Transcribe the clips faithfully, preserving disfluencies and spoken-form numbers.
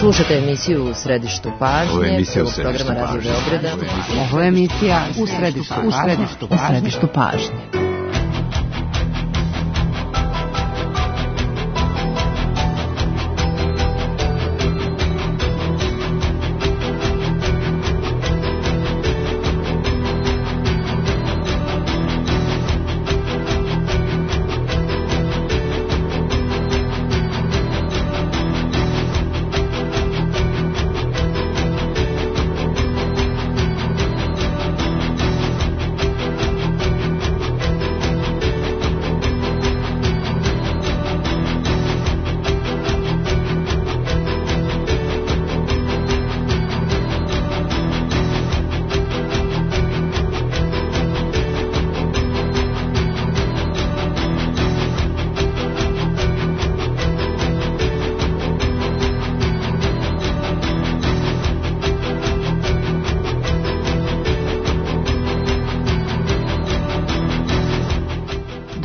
Slušajte emisiju U središtu pažnje. Ovo je emisija U središtu programa pažnje. Radio Beograda. Ovo je emisija U središtu, u središtu, u središtu pažnje.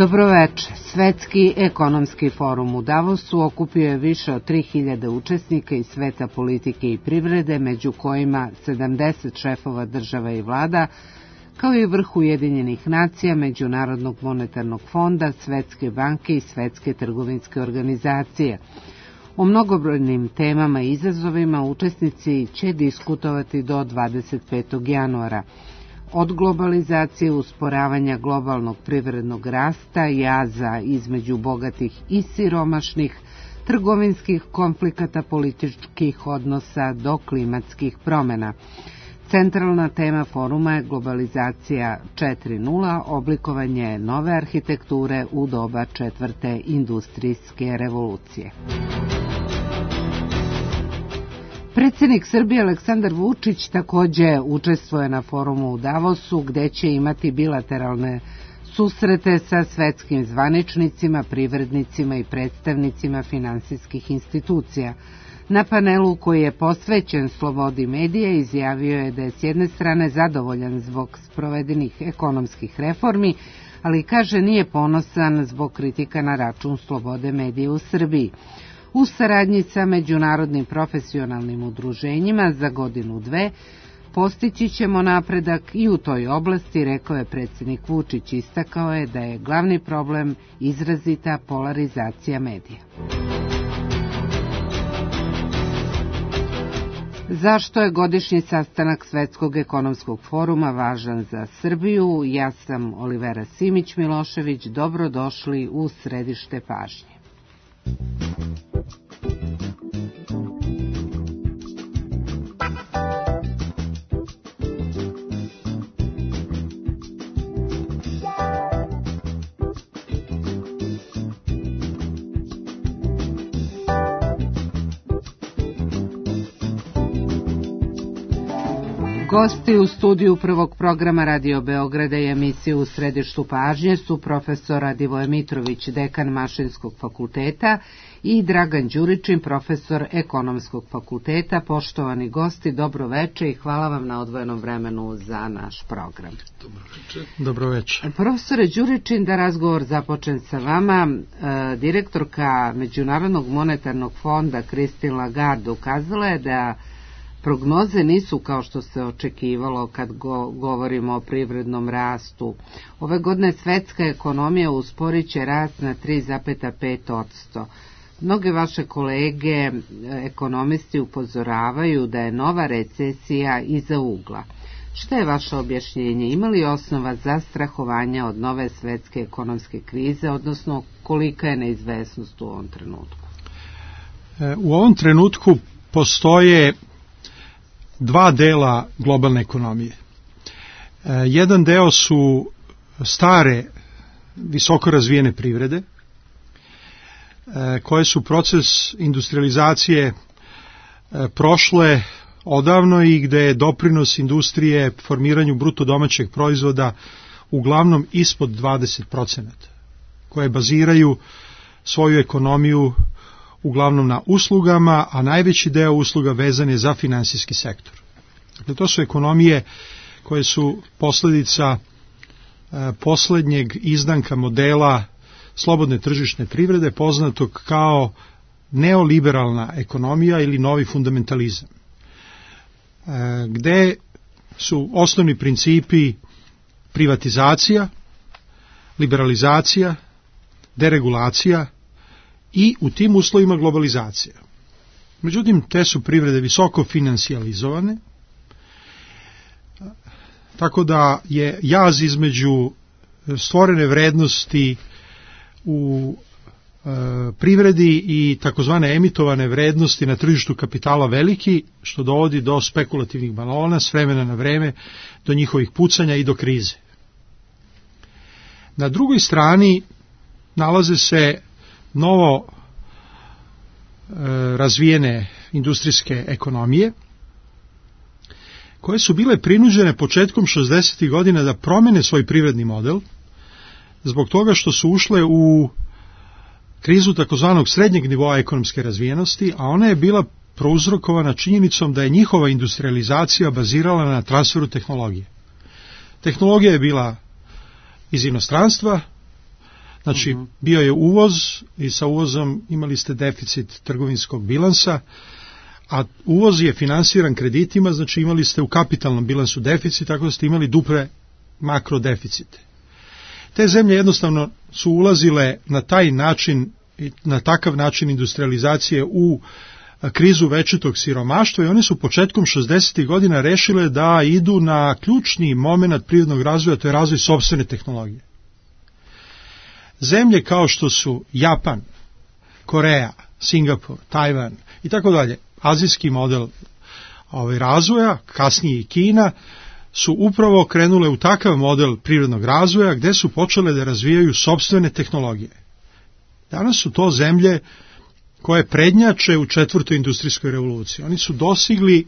Dobroveče. Svetski ekonomski forum u Davosu okupio je više od tri hiljade učesnika iz sveta politike i privrede, među kojima sedamdeset šefova država i vlada, kao i vrh Ujedinjenih nacija, Međunarodnog monetarnog fonda, Svetske banke i Svetske trgovinske organizacije. O mnogobrojnim temama i izazovima učesnici će diskutovati do dvadeset petog januara. Od globalizacije, usporavanja globalnog privrednog rasta, jaza između bogatih i siromašnih, trgovinskih konflikata, političkih odnosa do klimatskih promjena. Centralna tema foruma je globalizacija četiri nula, oblikovanje nove arhitekture u doba četvrte industrijske revolucije. Predsjednik Srbije Aleksandar Vučić također učestvuje na forumu u Davosu, gdje će imati bilateralne susrete sa svetskim zvaničnicima, privrednicima i predstavnicima finansijskih institucija. Na panelu koji je posvećen slobodi medija izjavio je da je s jedne strane zadovoljan zbog sprovedenih ekonomskih reformi, ali kaže nije ponosan zbog kritika na račun slobode medija u Srbiji. U saradnji sa međunarodnim profesionalnim udruženjima za godinu dve postići ćemo napredak i u toj oblasti, rekao je predsjednik Vučić. Istakao je da je glavni problem izrazita polarizacija medija. Zašto je godišnji sastanak Svetskog ekonomskog foruma važan za Srbiju? Ja sam Olivera Simić-Milošević. Dobrodošli u središte pažnje. Gosti u studiju prvog programa Radio Beograda i emisiju U središtu pažnje su profesor Radivoje Mitrović, dekan Mašinskog fakulteta, i Dragan Đuričin, profesor Ekonomskog fakulteta. Poštovani gosti, dobro veče i hvala vam na odvojenom vremenu za naš program. Dobro veče. Dobro veče. Profesore Đuričin, da razgovor započnem sa vama. E, direktorka Međunarodnog monetarnog fonda Christine Lagarde ukazala je da prognoze nisu kao što se očekivalo kad go, govorimo o privrednom rastu. Ove godine svetska ekonomija usporit će rast na tri zarez pet posto. Mnoge vaše kolege, ekonomisti, upozoravaju da je nova recesija iza ugla. Što je vaše objašnjenje? Ima li osnova za strahovanja od nove svetske ekonomske krize, odnosno kolika je neizvesnost u ovom trenutku? U ovom trenutku postoje dva dela globalne ekonomije. Jedan deo su stare, visoko razvijene privrede, koje su proces industrializacije prošle odavno i gde je doprinos industrije formiranju bruto domaćeg proizvoda uglavnom ispod dvadeset procenata, koje baziraju svoju ekonomiju uglavnom na uslugama, a najveći deo usluga vezan je za finansijski sektor. Dakle, to su ekonomije koje su posljedica e, posljednjeg izdanka modela slobodne tržišne privrede, poznatog kao neoliberalna ekonomija ili novi fundamentalizam, gde su osnovni principi privatizacija, liberalizacija, deregulacija i u tim uslovima globalizacija. Međutim, te su privrede visoko financijalizovane, tako da je jaz između stvorene vrednosti u e, privredi i takozvane emitovane vrednosti na tržištu kapitala veliki, što dovodi do spekulativnih balona s vremena na vreme, do njihovih pucanja i do krize. Na drugoj strani nalaze se novo e, razvijene industrijske ekonomije, koje su bile prinuđene početkom šezdesetih godina da promene svoj privredni model, zbog toga što su ušle u krizu takozvanog srednjeg nivoa ekonomske razvijenosti, a ona je bila prouzrokovana činjenicom da je njihova industrializacija bazirala na transferu tehnologije. Tehnologija je bila iz inostranstva, znači uh-huh. bio je uvoz i sa uvozom imali ste deficit trgovinskog bilansa, a uvoz je finansiran kreditima, znači imali ste u kapitalnom bilansu deficit, tako da ste imali duple makrodeficite. Te zemlje jednostavno su ulazile na taj način, na takav način industrializacije u krizu večitog siromaštva i one su početkom šezdesetih godina rešile da idu na ključni moment privrednog razvoja, to je razvoj sopstvene tehnologije. Zemlje kao što su Japan, Koreja, Singapur, Tajvan i tako dalje, azijski model ovaj, razvoja, kasnije i Kina, su upravo krenule u takav model privrednog razvoja gde su počele da razvijaju sopstvene tehnologije. Danas su to zemlje koje prednjače u četvrtoj industrijskoj revoluciji. Oni su dosigli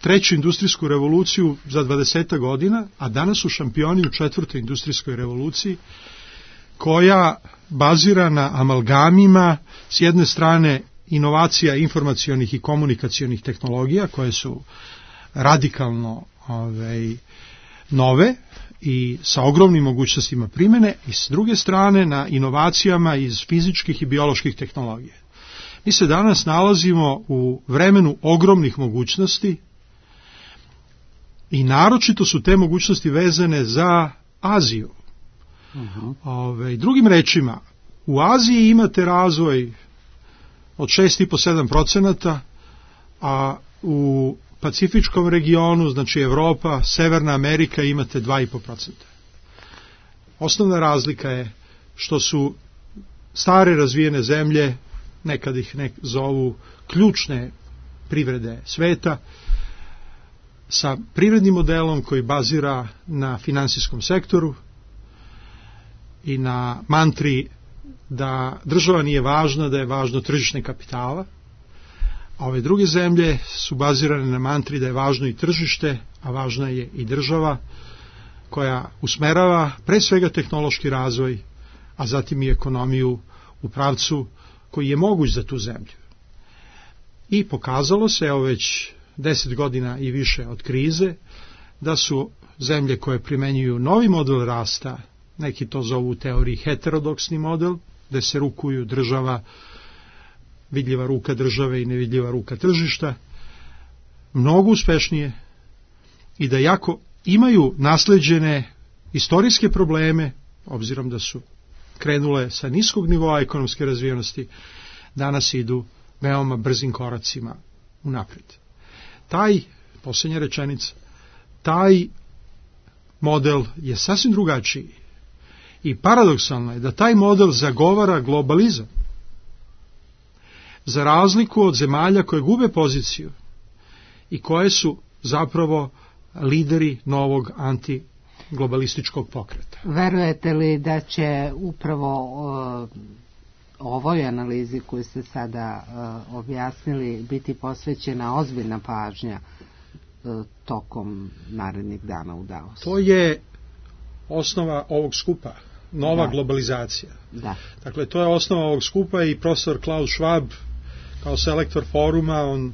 treću industrijsku revoluciju za dvadeset godina, a danas su šampioni u četvrtoj industrijskoj revoluciji, koja bazira na amalgamima, s jedne strane inovacija informacionih i komunikacionih tehnologija, koje su radikalno ovaj, nove i sa ogromnim mogućnostima primene, i s druge strane na inovacijama iz fizičkih i bioloških tehnologija. Mi se danas nalazimo u vremenu ogromnih mogućnosti i naročito su te mogućnosti vezane za Aziju. Uh-huh. Ove, drugim rečima, u Aziji imate razvoj od šest zarez pet do sedam procenata, a u Pacifičkom regionu, znači Evropa, Severna Amerika, imate dva zarez pet procenta. Osnovna razlika je što su stare razvijene zemlje, nekad ih nek zovu ključne privrede sveta, sa privrednim modelom koji bazira na finansijskom sektoru i na mantri da država nije važna, da je važno tržište kapitala, a ove druge zemlje su bazirane na mantri da je važno i tržište, a važna je i država koja usmerava pre svega tehnološki razvoj, a zatim i ekonomiju u pravcu koji je moguć za tu zemlju. I pokazalo se, evo već deset godina i više od krize, da su zemlje koje primenjuju novi model rasta, neki to zovu u teoriji heterodoksni model, gde se rukuju država, vidljiva ruka države i nevidljiva ruka tržišta, mnogo uspešnije i da jako imaju nasleđene istorijske probleme, obzirom da su krenule sa niskog nivoa ekonomske razvijenosti, danas idu veoma brzim koracima unapred. Taj, posljednja rečenica, taj model je sasvim drugačiji i paradoksalno je da taj model zagovara globalizam, za razliku od zemalja koje gube poziciju i koje su zapravo lideri novog antiglobalističkog pokreta. Verujete li da će upravo o, ovoj analizi koju ste sada o, objasnili biti posvećena ozbiljna pažnja o, tokom narednih dana u Davosu? To je osnova ovog skupa, nova da. globalizacija. Da. Dakle, to je osnova ovog skupa i profesor Klaus Schwab kao selektor foruma, on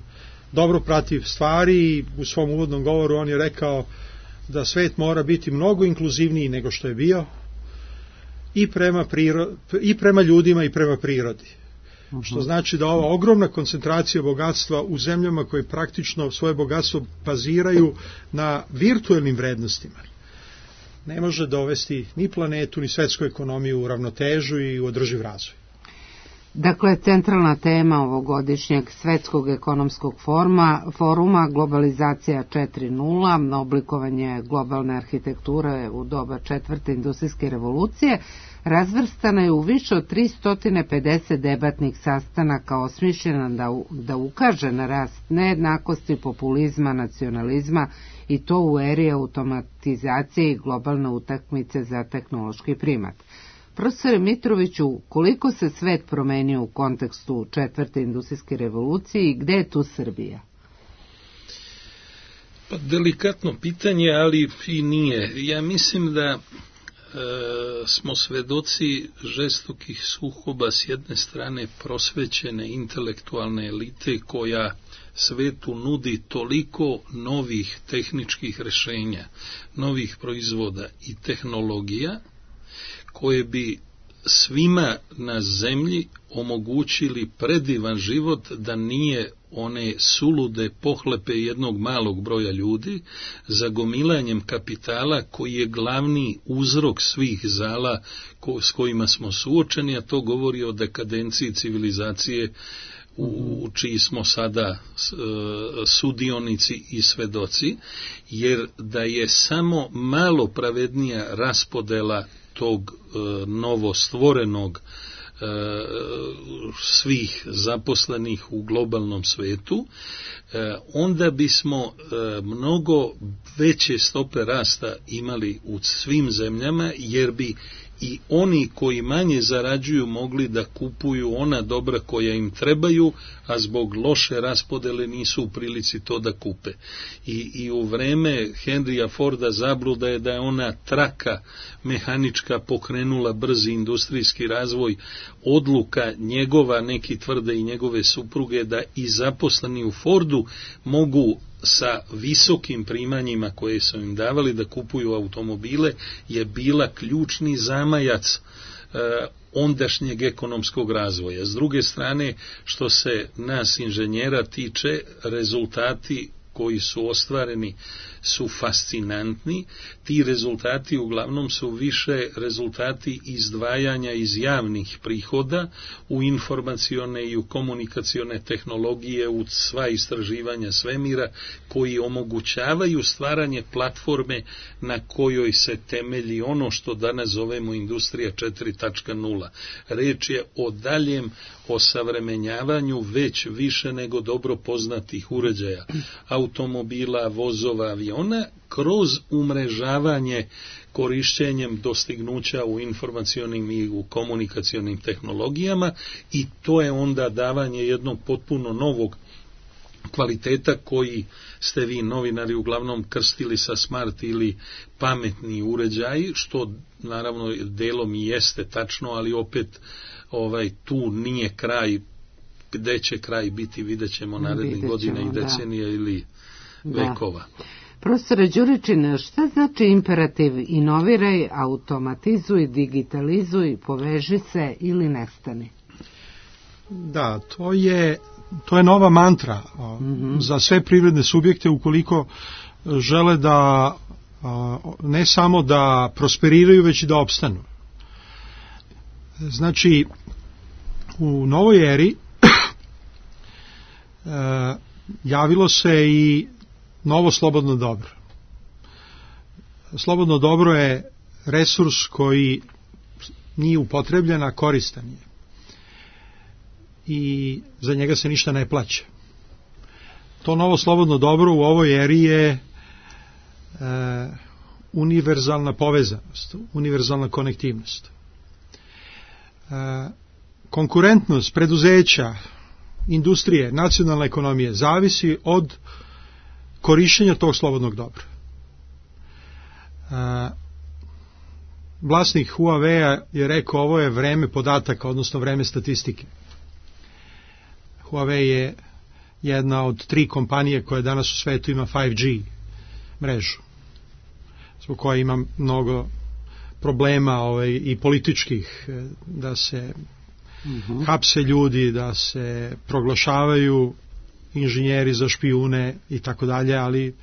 dobro prati stvari i u svom uvodnom govoru on je rekao da svet mora biti mnogo inkluzivniji nego što je bio i prema, priro, i prema ljudima i prema prirodi. Uh-huh. Što znači da ova ogromna koncentracija bogatstva u zemljama koje praktično svoje bogatstvo baziraju na virtuelnim vrednostima ne može dovesti ni planetu ni svetsku ekonomiju u ravnotežu i u održiv razvoj. Dakle, centralna tema ovogodišnjeg Svetskog ekonomskog foruma, foruma globalizacija četiri nula, oblikovanje globalne arhitekture u doba četvrte industrijske revolucije, razvrstana je u više od tristo pedeset debatnih sastanaka osmišljena da, da ukaže na rast nejednakosti, populizma, nacionalizma i to u eri automatizacije i globalne utakmice za tehnološki primat. Profesore Mitroviću, koliko se svet promenio u kontekstu četvrte industrijske revolucije i gde je tu Srbija? Pa delikatno pitanje, ali i nije. Ja mislim da e, smo svedoci žestokih sukoba s jedne strane prosvećene intelektualne elite koja svetu nudi toliko novih tehničkih rešenja, novih proizvoda i tehnologija koje bi svima na zemlji omogućili predivan život da nije one sulude pohlepe jednog malog broja ljudi za gomilanjem kapitala koji je glavni uzrok svih zala ko, s kojima smo suočeni, a to govori o dekadenciji civilizacije u čiji smo sada sudionici i svedoci, jer da je samo malo pravednija raspodela tog e, novostvorenog e, svih zaposlenih u globalnom svetu, e, onda bismo e, mnogo veće stope rasta imali u svim zemljama, jer bi i oni koji manje zarađuju mogli da kupuju ona dobra koja im trebaju, a zbog loše raspodele nisu u prilici to da kupe. I, i u vreme Henrya Forda zabluda je da je ona traka mehanička pokrenula brzi industrijski razvoj, odluka njegova, neki tvrde i njegove supruge, da i zaposleni u Fordu mogu sa visokim primanjima koje su im davali da kupuju automobile, je bila ključni zamajac e, ondašnjeg ekonomskog razvoja. S druge strane, što se nas inženjera tiče, rezultati koji su ostvareni su fascinantni. Ti rezultati uglavnom su više rezultati izdvajanja iz javnih prihoda u informacione i u komunikacione tehnologije, u sva istraživanja svemira, koji omogućavaju stvaranje platforme na kojoj se temelji ono što danas zovemo industrija četiri nula. Reč je o daljem osavremenjavanju već više nego dobro poznatih uređaja, automobila, vozova, aviona, kroz umrežavanje korišćenjem dostignuća u informacionim i u komunikacionim tehnologijama, i to je onda davanje jednog potpuno novog kvaliteta koji ste vi novinari uglavnom krstili sa smart ili pametni uređaji, što naravno delom i jeste tačno, ali opet ovaj tu nije kraj. Gde će kraj biti, vidjet ćemo narednih godina i decenija, da, ili vekova. Da. Profesore Đuričin, šta znači imperativ inoviraj, automatizuj, digitalizuj, poveži se ili nestani? Da, to je, to je nova mantra mm-hmm. za sve privredne subjekte ukoliko žele da ne samo da prosperiraju, već i da opstanu. Znači, u novoj eri javilo se i novo slobodno dobro. Slobodno dobro je resurs koji nije upotrebljen, a koristan je. I za njega se ništa ne plaća. To novo slobodno dobro u ovoj eri je e, univerzalna povezanost, univerzalna konektivnost. E, konkurentnost preduzeća, industrije, nacionalne ekonomije zavisi od korišćenja tog slobodnog dobra. E, vlasnik Huawei je rekao, ovo je vreme podataka, odnosno vreme statistike. Huawei je jedna od tri kompanije koje danas u svetu ima pet G mrežu, zbog koje ima mnogo problema ovaj, i političkih, da se uh-huh. hapse ljudi, da se proglašavaju inženjeri za špijune i tako dalje, ali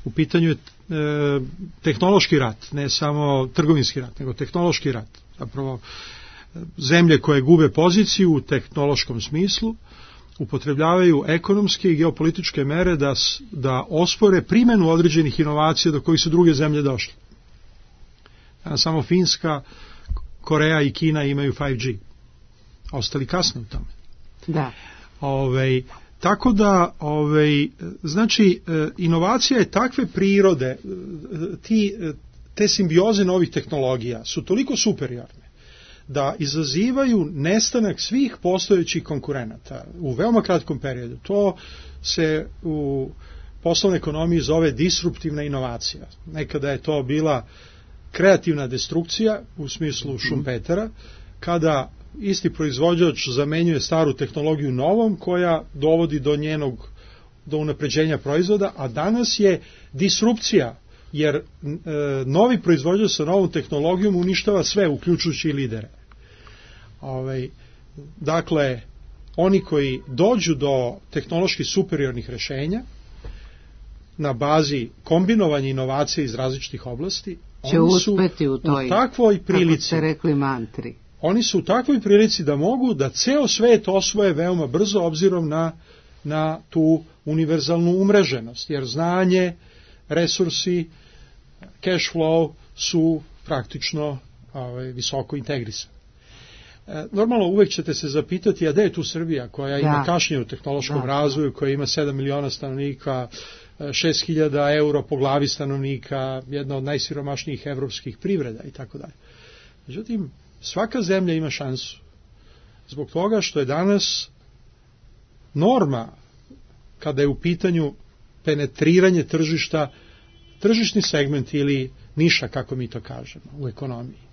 u pitanju je e, tehnološki rat, ne samo trgovinski rat, nego tehnološki rat. Zapravo, zemlje koje gube poziciju u tehnološkom smislu upotrebljavaju ekonomske i geopolitičke mere da, da ospore primjenu određenih inovacija do kojih su druge zemlje došle. Samo Finska, Koreja i Kina imaju pet G. Ostali kasno u tome. Da. Ove, tako da, ove, znači, inovacija je takve prirode, ti, te simbioze novih tehnologija su toliko superiorne da izazivaju nestanak svih postojećih konkurenata u veoma kratkom periodu. To se u poslovnoj ekonomiji zove disruptivna inovacija. Nekada je to bila kreativna destrukcija u smislu Šumpetera, kada isti proizvođač zamenjuje staru tehnologiju novom koja dovodi do njenog do unapređenja proizvoda, a danas je disrupcija, jer e, novi proizvođač sa novom tehnologijom uništava sve, uključujući i lidere. Ovaj, dakle, oni koji dođu do tehnološki superiornih rešenja na bazi kombinovanja inovacija iz različitih oblasti, će oni su uspeti u toj, u takvoj prilici, kako ste rekli, mantri. Oni su u takvoj prilici da mogu da ceo svet osvoje veoma brzo obzirom na, na tu univerzalnu umreženost, jer znanje, resursi, cash flow su praktično ovaj, visoko integrisani. E, normalno uvek ćete se zapitati, a gde je tu Srbija koja ima da. kašnje u tehnološkom da. razvoju, koja ima sedam miliona stanovnika, šest hiljada euro po glavi stanovnika, jedna od najsiromašnijih evropskih privreda i tako dalje. Međutim, svaka zemlja ima šansu. Zbog toga što je danas norma, kada je u pitanju penetriranje tržišta, tržišni segment ili niša, kako mi to kažemo, u ekonomiji.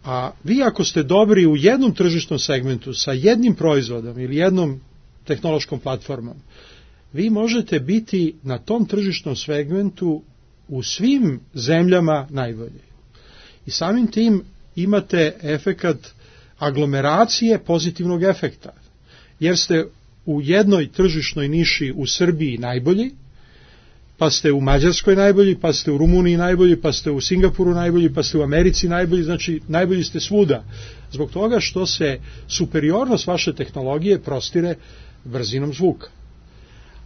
A vi ako ste dobri u jednom tržišnom segmentu sa jednim proizvodom ili jednom tehnološkom platformom, vi možete biti na tom tržišnom segmentu u svim zemljama najbolji. I samim tim imate efekat aglomeracije pozitivnog efekta, jer ste u jednoj tržišnoj niši u Srbiji najbolji, pa ste u Mađarskoj najbolji, pa ste u Rumuniji najbolji, pa ste u Singapuru najbolji, pa ste u Americi najbolji, znači najbolji ste svuda. Zbog toga što se superiornost vaše tehnologije prostire brzinom zvuka.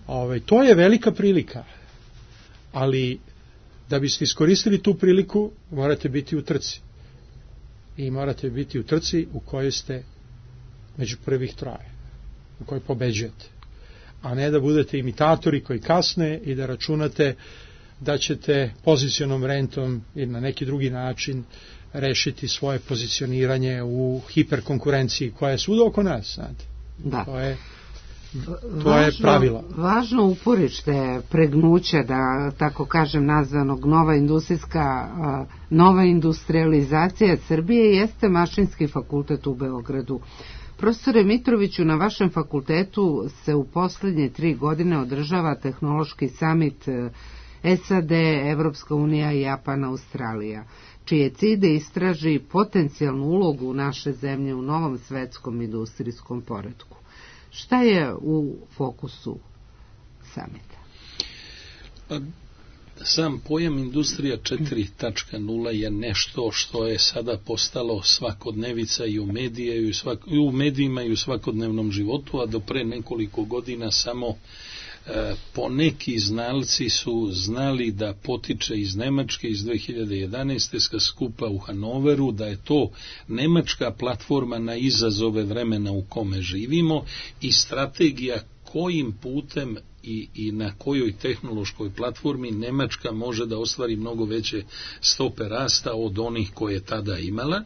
Ove, to je velika prilika, ali da biste iskoristili tu priliku, morate biti u trci. I morate biti u trci u kojoj ste među prvih troje, u kojoj pobeđujete. A ne da budete imitatori koji kasne i da računate da ćete pozicionom rentom ili na neki drugi način rešiti svoje pozicioniranje u hiperkonkurenciji koja je svuda oko nas. Znate. Da. To je, to važno, je pravilo. Važno uporište pregnuća, da tako kažem nazvanog nova industrijska, nova industrializacija Srbije jeste Mašinski fakultet u Beogradu. Profesore Mitroviću, na vašem fakultetu se u poslednje tri godine održava tehnološki samit S A D, Evropska unija, Japan, Australija, čiji je cilj da istraži potencijalnu ulogu naše zemlje u novom svetskom industrijskom poretku. Šta je u fokusu samita? Sam pojam industrija četiri tačka nula je nešto što je sada postalo svakodnevica i u, medije, i u, svak, i u medijima i u svakodnevnom životu, a do pre nekoliko godina samo e, poneki znalci su znali da potiče iz Nemačke iz dve hiljade jedanaeste sa skupa u Hanoveru, da je to nemačka platforma na izazove vremena u kome živimo i strategija kojim putem i, i na kojoj tehnološkoj platformi Nemačka može da ostvari mnogo veće stope rasta od onih koje je tada imala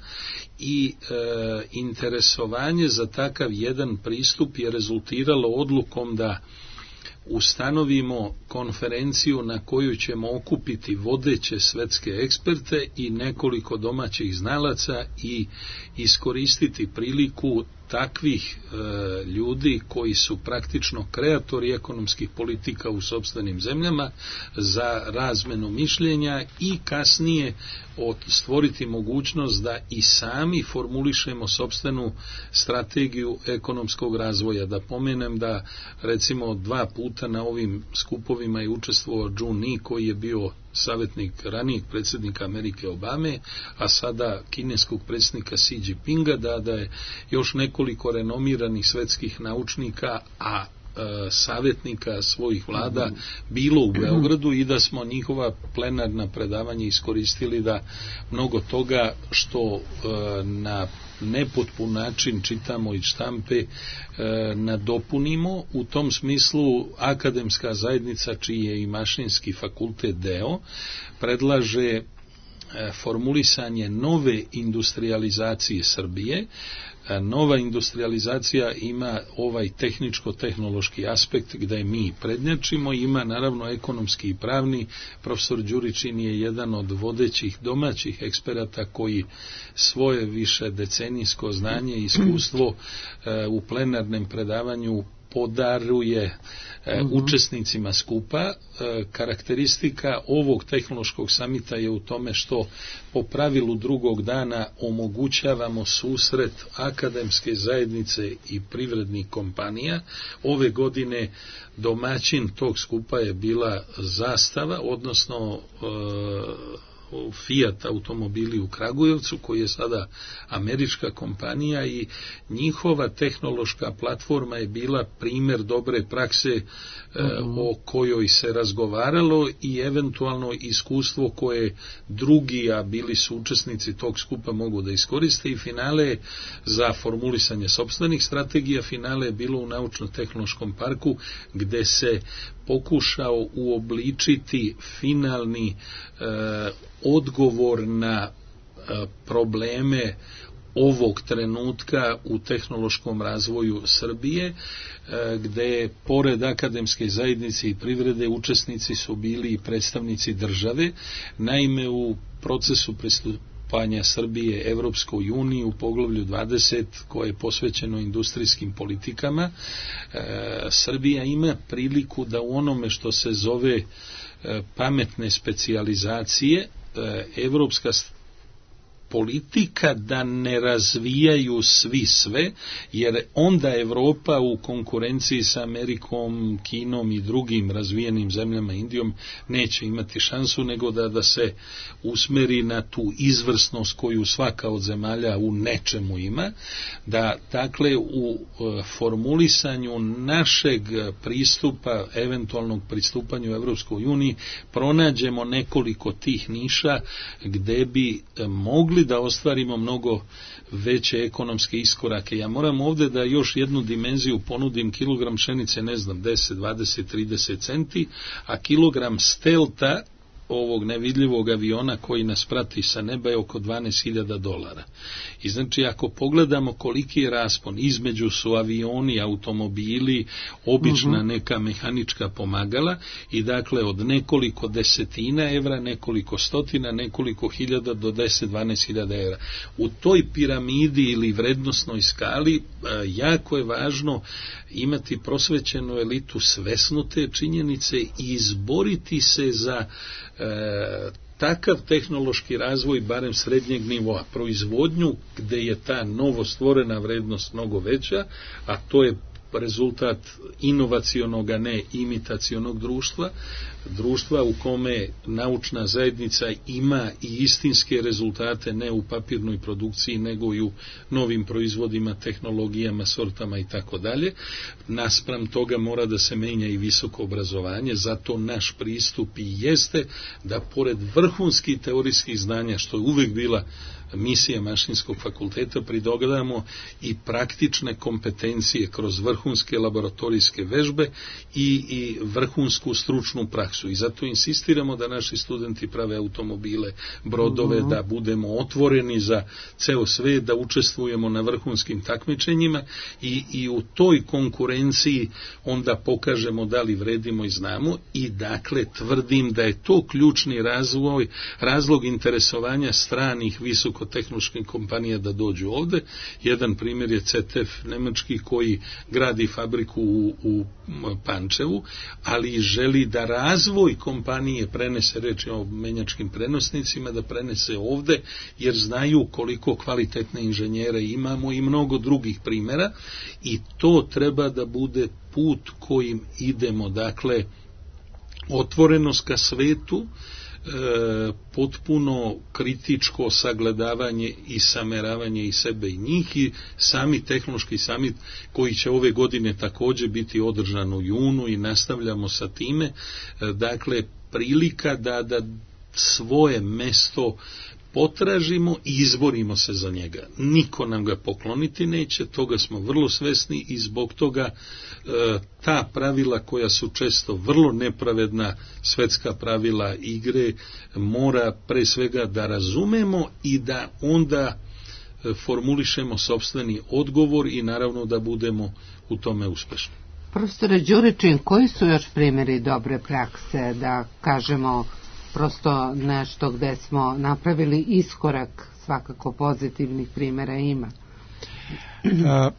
i e, interesovanje za takav jedan pristup je rezultiralo odlukom da ustanovimo konferenciju na koju ćemo okupiti vodeće svetske eksperte i nekoliko domaćih znalaca i iskoristiti priliku takvih e, ljudi koji su praktično kreatori ekonomskih politika u sopstvenim zemljama za razmenu mišljenja i kasnije od, stvoriti mogućnost da i sami formulišemo sopstvenu strategiju ekonomskog razvoja. Da pomenem da recimo dva puta na ovim skupovima je učestvovao Jun Lee, koji je bio savjetnik ranijeg predsjednika Amerike Obame, a sada kineskog predsjednika Xi Jinpinga, da, da je još nekoliko renomiranih svetskih naučnika, a savjetnika svojih vlada bilo u Beogradu i da smo njihova plenarna predavanja iskoristili da mnogo toga što na nepotpun način čitamo iz štampe nadopunimo. U tom smislu akademska zajednica, čiji je i Mašinski fakultet deo, predlaže formulisanje nove industrijalizacije Srbije. Nova industrijalizacija ima ovaj tehničko-tehnološki aspekt gde mi prednjačimo, ima naravno ekonomski i pravni. Profesor Đuričin je jedan od vodećih domaćih eksperata koji svoje više decenijsko znanje i iskustvo u plenarnem predavanju podaruje e, uh-huh. učesnicima skupa. E, karakteristika ovog tehnološkog samita je u tome što po pravilu drugog dana omogućavamo susret akademske zajednice i privrednih kompanija. Ove godine domaćin tog skupa je bila Zastava, odnosno e, Fiat automobili u Kragujevcu, koji je sada američka kompanija, i njihova tehnološka platforma je bila primjer dobre prakse uh-huh. o kojoj se razgovaralo i eventualno iskustvo koje drugi, a bili su učesnici tog skupa, mogu da iskoriste. I finale za formulisanje sopstvenih strategija, finale je bilo u Naučno-tehnološkom parku, gde se pokušao uobličiti finalni e, odgovor na e, probleme ovog trenutka u tehnološkom razvoju Srbije, e, gde pored akademske zajednice i privrede učesnici su bili i predstavnici države. Naime, u procesu pristupanja Srbije Evropskoj uniji u poglavlju dvadeset, koje je posvećeno industrijskim politikama, e, Srbija ima priliku da u onome što se zove e, pametne specijalizacije, e, evropska politika da ne razvijaju svi sve, jer onda Evropa u konkurenciji sa Amerikom, Kinom i drugim razvijenim zemljama, Indijom, neće imati šansu, nego da, da se usmeri na tu izvrsnost koju svaka od zemalja u nečemu ima, da dakle u formulisanju našeg pristupa, eventualnog pristupanju Evropskoj uniji, pronađemo nekoliko tih niša gde bi mogli da ostvarimo mnogo veće ekonomske iskorake. Ja moram ovde da još jednu dimenziju ponudim. Kilogram pšenice, ne znam, deset, dvadeset, trideset centi, a kilogram stelta, ovog nevidljivog aviona koji nas prati sa neba, je oko dvanaest hiljada dolara. I znači, ako pogledamo koliki je raspon, između su avioni, automobili, obična neka mehanička pomagala, i dakle od nekoliko desetina evra, nekoliko stotina, nekoliko hiljada do deset do dvanaest hiljada evra. U toj piramidi ili vrednosnoj skali jako je važno imati prosvećenu elitu, svesnu te činjenice i izboriti se za E, takav tehnološki razvoj, barem srednjeg nivoa, proizvodnju gde je ta novostvorena vrednost mnogo veća, a to je rezultat inovacionog, a ne imitacionog društva, društva u kome naučna zajednica ima i istinske rezultate, ne u papirnoj produkciji, nego i u novim proizvodima, tehnologijama, sortama i tako dalje. Naspram toga mora da se menja i visoko obrazovanje, zato naš pristup i jeste da pored vrhunskih teorijskih znanja, što je uvek bila misija Mašinskog fakulteta, pridodamo i praktične kompetencije kroz vrhunske laboratorijske vežbe i, i vrhunsku stručnu praksu. I zato insistiramo da naši studenti prave automobile, brodove, uh-huh. da budemo otvoreni za ceo svet, da učestvujemo na vrhunskim takmičenjima i, i u toj konkurenciji onda pokažemo da li vredimo i znamo. I dakle tvrdim da je to ključni razvoj, razlog interesovanja stranih visoko visokotehnoloških kompanija da dođu ovde. Jedan primjer je C T F nemački koji gradi fabriku u, u Pančevu, ali želi da razvoj kompanije prenese, reč je o menjačkim prenosnicima, da prenese ovde, jer znaju koliko kvalitetne inženjere imamo i mnogo drugih primjera, i to treba da bude put kojim idemo, dakle otvorenost ka svetu, e, potpuno kritičko sagledavanje i sameravanje i sebe i njih, i sami tehnološki samit koji će ove godine također biti održan u junu i nastavljamo sa time, e, dakle prilika da, da svoje mesto potražimo i izborimo se za njega. Niko nam ga pokloniti neće, toga smo vrlo svesni, i zbog toga e, ta pravila koja su često vrlo nepravedna, svetska pravila igre, mora pre svega da razumemo i da onda e, formulišemo sopstveni odgovor i naravno da budemo u tome uspešni. Profesore Đuričin, koji su još primjeri dobre prakse, da kažemo prosto nešto gde smo napravili iskorak, svakako pozitivnih primjera ima? A,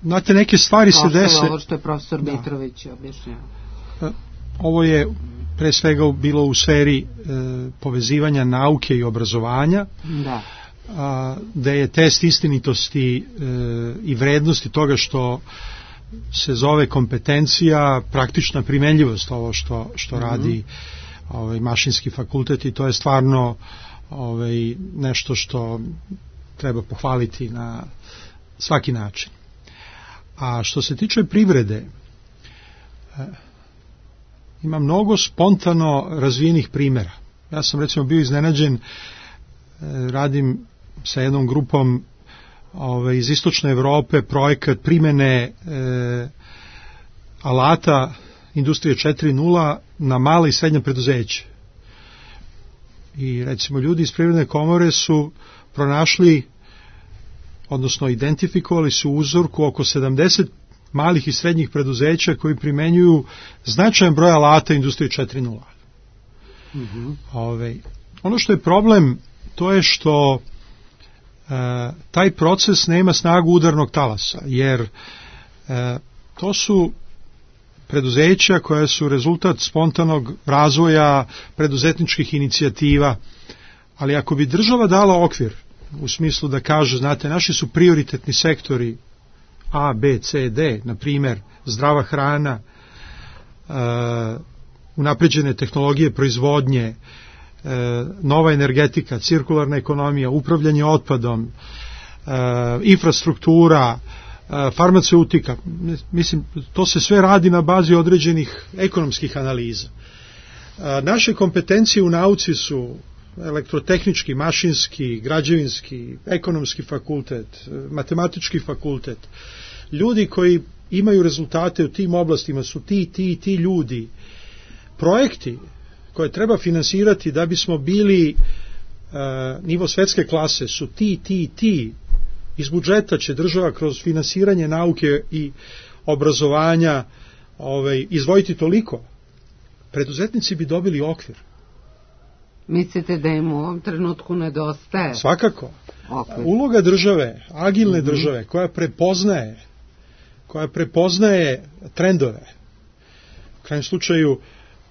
znate, neke stvari se dese... Ovo što je profesor da. Mitrović objašnjava. Ovo je pre svega bilo u sferi e, povezivanja nauke i obrazovanja, da. A, da je test istinitosti e, i vrednosti toga što se zove kompetencija, praktična primenljivost, ovo što, što mm-hmm. radi ovaj mašinski fakultet, i to je stvarno ovaj nešto što treba pohvaliti na svaki način. A što se tiče privrede, ima mnogo spontano razvijenih primjera. Ja sam recimo bio iznenađen, radim sa jednom grupom ovaj iz istočne Evrope projekat primjene e, alata industrije četiri nula na mala i srednja preduzeća. I recimo ljudi iz Privredne komore su pronašli, odnosno identifikovali su uzorku oko sedamdeset malih i srednjih preduzeća koji primenjuju značajan broj alata industrije četiri nula. Mm-hmm. Ove, ono što je problem, to je što e, taj proces nema snagu udarnog talasa, jer e, to su preduzeća koja su rezultat spontanog razvoja preduzetničkih inicijativa, ali ako bi država dala okvir u smislu da kaže, znate, naši su prioritetni sektori A, B, C, D, na primjer zdrava hrana, uh, unapređene tehnologije proizvodnje, uh, nova energetika, cirkularna ekonomija, upravljanje otpadom, uh, infrastruktura, farmaceutika, mislim, to se sve radi na bazi određenih ekonomskih analiza. Naše kompetencije u nauci su elektrotehnički, mašinski, građevinski, ekonomski fakultet, matematički fakultet. Ljudi koji imaju rezultate u tim oblastima su ti, ti, ti ljudi. Projekti koje treba finansirati da bismo bili uh, nivo svetske klase su ti, ti, ti. Iz budžeta će država kroz finansiranje nauke i obrazovanja ovaj, izvojiti toliko. Preduzetnici bi dobili okvir. Mislite da im u ovom trenutku nedostaje? Svakako. Okvir. Uloga države, agilne mm-hmm. države, koja prepoznaje, koja prepoznaje trendove. U krajnjem slučaju,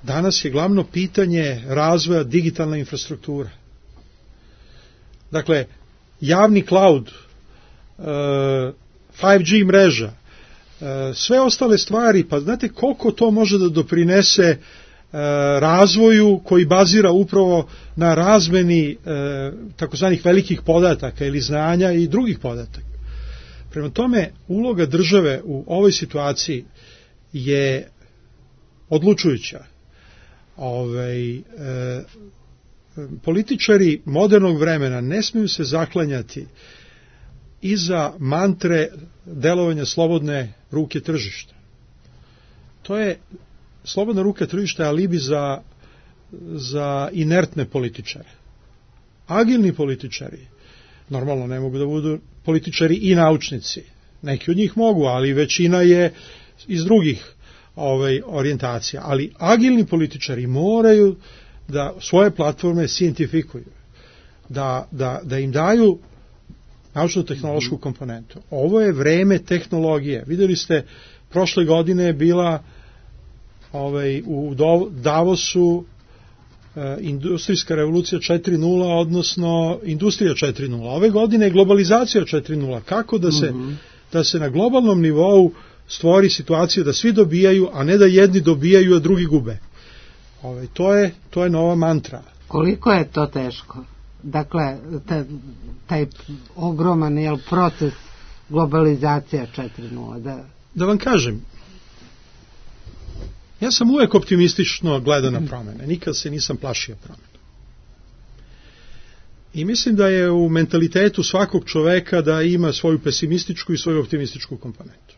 danas je glavno pitanje razvoja digitalna infrastruktura. Dakle, javni cloud, five G mreža, sve ostale stvari, pa znate koliko to može da doprinese razvoju koji bazira upravo na razmeni takozvanih velikih podataka ili znanja i drugih podataka. Prema tome, uloga države u ovoj situaciji je odlučujuća. Ovaj, e, političari modernog vremena ne smiju se zaklanjati iza mantre delovanja slobodne ruke tržišta. To je slobodna ruka tržišta je alibi za, za inertne političare. Agilni političari normalno ne mogu da budu političari i naučnici. Neki od njih mogu, ali većina je iz drugih ovaj, orijentacija. Ali agilni političari moraju da svoje platforme scientifikuju. da, da, da im daju naučno-tehnološku komponentu. Ovo je vreme tehnologije. Vidjeli ste, prošle godine je bila ovaj, u Davosu e, industrijska revolucija četiri nula, odnosno industrija četiri nula. Ove godine je globalizacija četiri nula. Kako da se, mm-hmm. da se na globalnom nivou stvori situacija da svi dobijaju, a ne da jedni dobijaju, a drugi gube. Ovaj, to je, to je nova mantra. Koliko je to teško? Dakle, taj, taj ogroman jel, proces globalizacija četiri nula. Da... da vam kažem, ja sam uvek optimistično gledao na promene. Nikad se nisam plašio promene. I mislim da je u mentalitetu svakog čoveka da ima svoju pesimističku i svoju optimističku komponentu.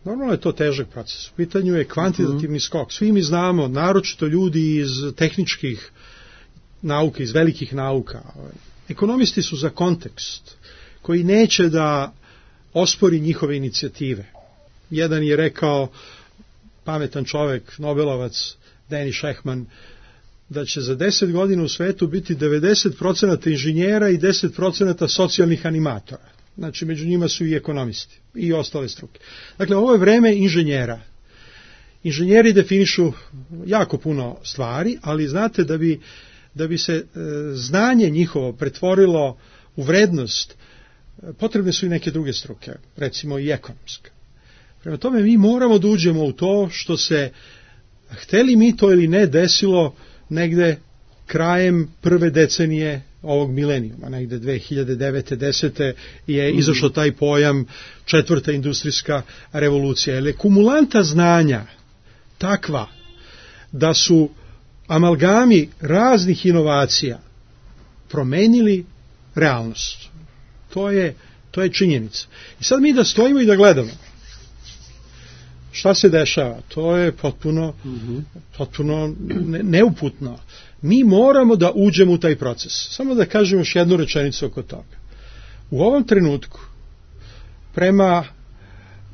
Normalno je to težak proces. U pitanju je kvantitativni skok. Svi mi znamo, naročito ljudi iz tehničkih nauka, iz velikih nauka. Ekonomisti su za kontekst koji neće da ospori njihove inicijative. Jedan je rekao, pametan čovek, Nobelovac, Danny Shechtman, da će za deset godina u svetu biti devedeset procenata inženjera i deset procenata socijalnih animatora. Znači, među njima su i ekonomisti i ostale struke. Dakle, ovo je vreme inženjera. Inženjeri definišu jako puno stvari, ali znate da bi, da bi se e, znanje njihovo pretvorilo u vrednost, potrebne su i neke druge struke, recimo i ekonomska. Prema tome, mi moramo da uđemo u to što se, hteli mi to ili ne, desilo negde krajem prve decenije ovog milenijuma, negde dve hiljade devete desete je izašao taj pojam četvrta industrijska revolucija. Jer je kumulanta znanja takva da su amalgami raznih inovacija promenili realnost. To je, to je činjenica. I sad mi da stojimo i da gledamo šta se dešava, to je potpuno, mm-hmm. potpuno ne, neuputno. Mi moramo da uđemo u taj proces. Samo da kažem još jednu rečenicu oko toga. U ovom trenutku, prema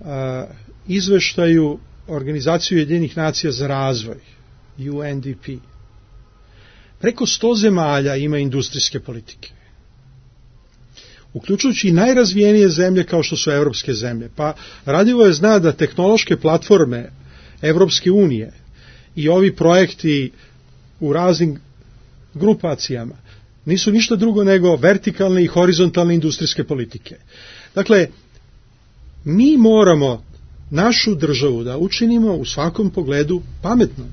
a, izveštaju Organizacije Ujedinjenih nacija za razvoj, U N D P, preko sto zemalja ima industrijske politike. Uključujući i najrazvijenije zemlje kao što su evropske zemlje. Pa radivo je zna da tehnološke platforme Evropske unije i ovi projekti u raznim grupacijama nisu ništa drugo nego vertikalne i horizontalne industrijske politike. Dakle, mi moramo našu državu da učinimo u svakom pogledu pametnom,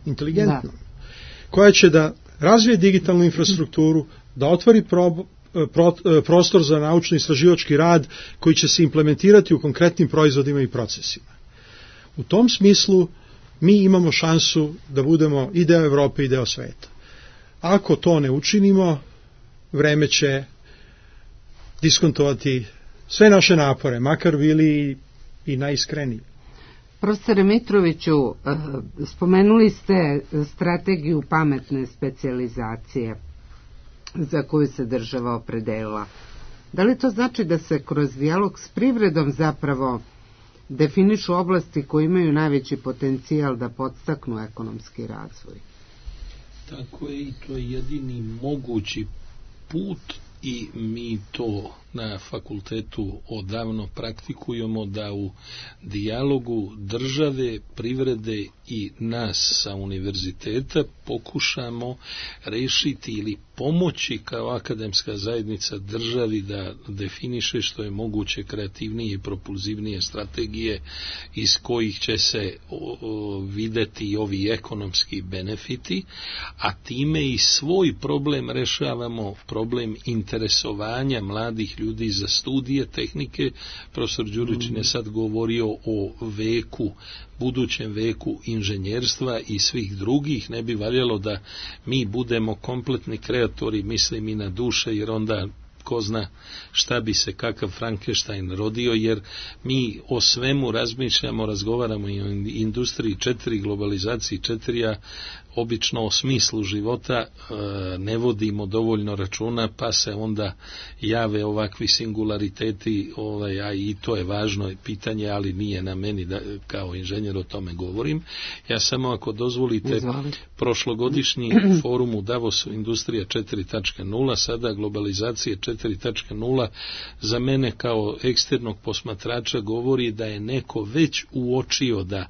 inteligentnom, da. koja će da razvije digitalnu infrastrukturu, da otvori pro, pro, prostor za naučno-istraživački rad koji će se implementirati u konkretnim proizvodima i procesima. U tom smislu mi imamo šansu da budemo i deo Evrope i deo sveta. Ako to ne učinimo, vreme će diskontovati sve naše napore, makar bili i najiskreniji. Profesore Mitroviću, spomenuli ste strategiju pametne specijalizacije za koju se država opredelila. Da li to znači da se kroz dijalog s privredom zapravo definišu oblasti koje imaju najveći potencijal da podstaknu ekonomski razvoj? Tako je, i to je jedini mogući put i mi to na fakultetu odavno praktikujemo, da u dijalogu države, privrede i nas sa univerziteta pokušamo rešiti ili pomoći kao akademska zajednica državi da definiše što je moguće kreativnije i propulzivnije strategije iz kojih će se o, o, videti ovi ekonomski benefiti, a time i svoj problem rešavamo, problem interesovanja mladih ljudi za studije tehnike. Profesor Đurićin je sad govorio o veku, budućem veku inženjerstva i svih drugih. Ne bi valjalo da mi budemo kompletni kreatori, mislim i na duše, jer onda ko zna šta bi se kakav Frankenstein rodio, jer mi o svemu razmišljamo, razgovaramo i o industriji četiri, globalizaciji četiri, a obično o smislu života ne vodimo dovoljno računa, pa se onda jave ovakvi singulariteti, ovaj, a i to je važno pitanje, ali nije na meni da kao inženjer o tome govorim. Ja samo, ako dozvolite, Izvolite. prošlogodišnji forum u Davosu Industrija četiri tačka nula, sada globalizacije četiri tačka nula, za mene kao eksternog posmatrača govori da je neko već uočio da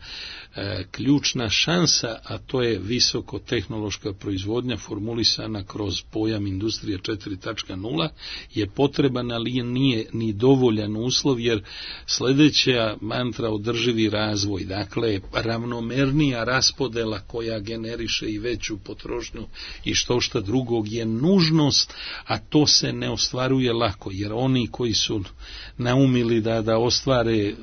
e, ključna šansa, a to je visokotehnološka proizvodnja formulisana kroz pojam Industrija četiri tačka nula, je potreban, ali nije ni dovoljan uslov, jer sljedeća mantra održivi razvoj, dakle ravnomernija raspodela koja generiše i veću potrošnju i što šta drugog, je nužnost, a to se ne ostvaruje lako, jer oni koji su naumili da, da ostvare e,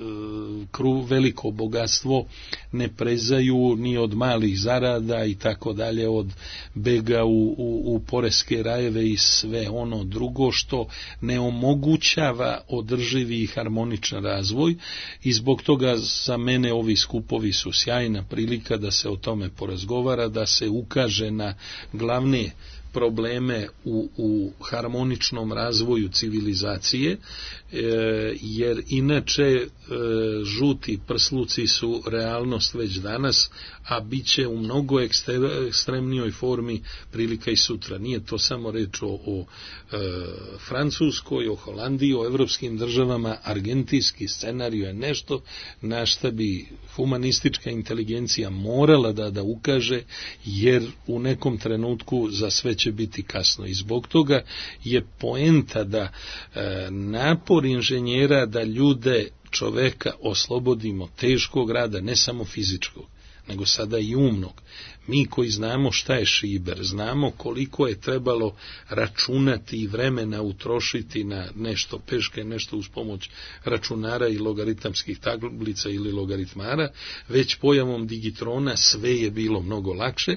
kru, veliko bogatstvo ne prezaju ni od malih zarada i tako dalje, od bega u, u, u poreske rajeve i sve ono drugo što ne omogućava održivi i harmoničan razvoj, i zbog toga za mene ovi skupovi su sjajna prilika da se o tome porazgovara, da se ukaže na glavne probleme u, u harmoničnom razvoju civilizacije, e, jer inače e, žuti prsluci su realnost već danas, a bit će u mnogo ekstremnijoj formi prilika i sutra. Nije to samo reč o, o e, Francuskoj, o Holandiji, o evropskim državama. Argentinski scenarij je nešto na šta bi humanistička inteligencija morala da, da ukaže, jer u nekom trenutku za sve će biti kasno. I zbog toga je poenta da e, napor inženjera da ljude, čoveka oslobodimo teškog rada, ne samo fizičkog, nego sada i umnog. Mi koji znamo šta je šiber, znamo koliko je trebalo računati i vremena utrošiti na nešto peške, nešto uz pomoć računara i logaritamskih tablica ili logaritmara, već pojavom digitrona sve je bilo mnogo lakše,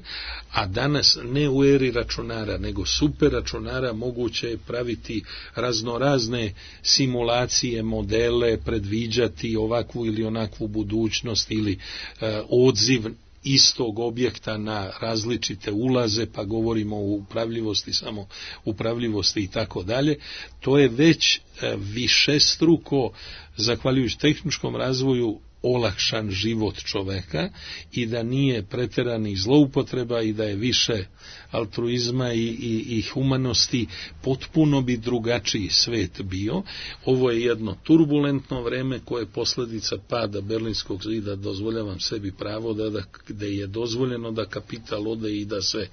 a danas ne u eri računara, nego super računara moguće je praviti raznorazne simulacije, modele, predviđati ovakvu ili onakvu budućnost ili e, odziv istog objekta na različite ulaze, pa govorimo o upravljivosti, samo upravljivosti i tako dalje. To je već višestruko, zahvaljujući tehničkom razvoju, olakšan život čoveka, i da nije preteranih zloupotreba i da je više altruizma i, i, i humanosti, potpuno bi drugačiji svet bio. Ovo je jedno turbulentno vreme koje je posljedica pada Berlinskog zida, dozvoljavam sebi pravo da, da gde je dozvoljeno da kapital ode i da se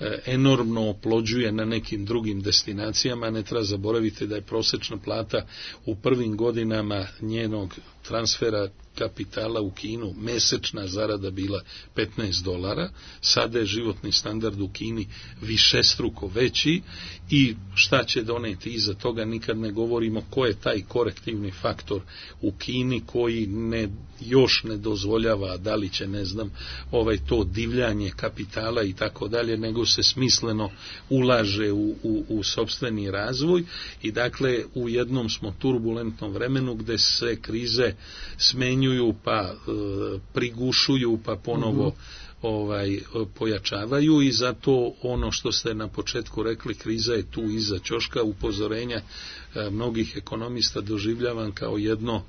e, enormno oplođuje na nekim drugim destinacijama. Ne treba zaboraviti da je prosječna plata u prvim godinama njenog transfera kapitala u Kinu, mesečna zarada bila petnaest dolara, sada je životni standard u Kini višestruko veći, i šta će doneti iza toga nikad ne govorimo, ko je taj korektivni faktor u Kini koji ne, još ne dozvoljava, da li će, ne znam, ovaj to divljanje kapitala i tako dalje, nego se smisleno ulaže u, u, u sopstveni razvoj. I dakle u jednom smo turbulentnom vremenu gde se krize smenjuju, pa e, prigušuju, pa ponovo mm-hmm. ovaj pojačavaju, i zato ono što ste na početku rekli, kriza je tu iza ćoška. Upozorenja e, mnogih ekonomista doživljavam kao jedno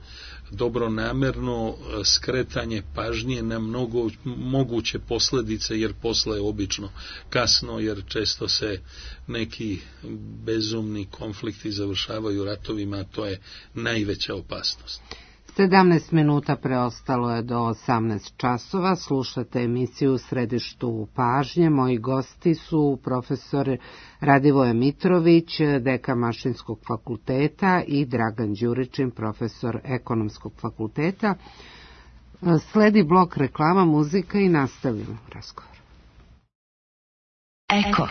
dobronamerno skretanje pažnje na mnogo moguće posljedice, jer posle je obično kasno, jer često se neki bezumni konflikti završavaju ratovima, a to je najveća opasnost. sedamnaest minuta preostalo je do osamnaest časova. Slušate emisiju u Središtu pažnje. Moji gosti su profesor Radivoje Mitrović, dekan Mašinskog fakulteta, i Dragan Đuričin, profesor Ekonomskog fakulteta. Sledi blok reklama, muzika i nastavljamo razgovor. Eko.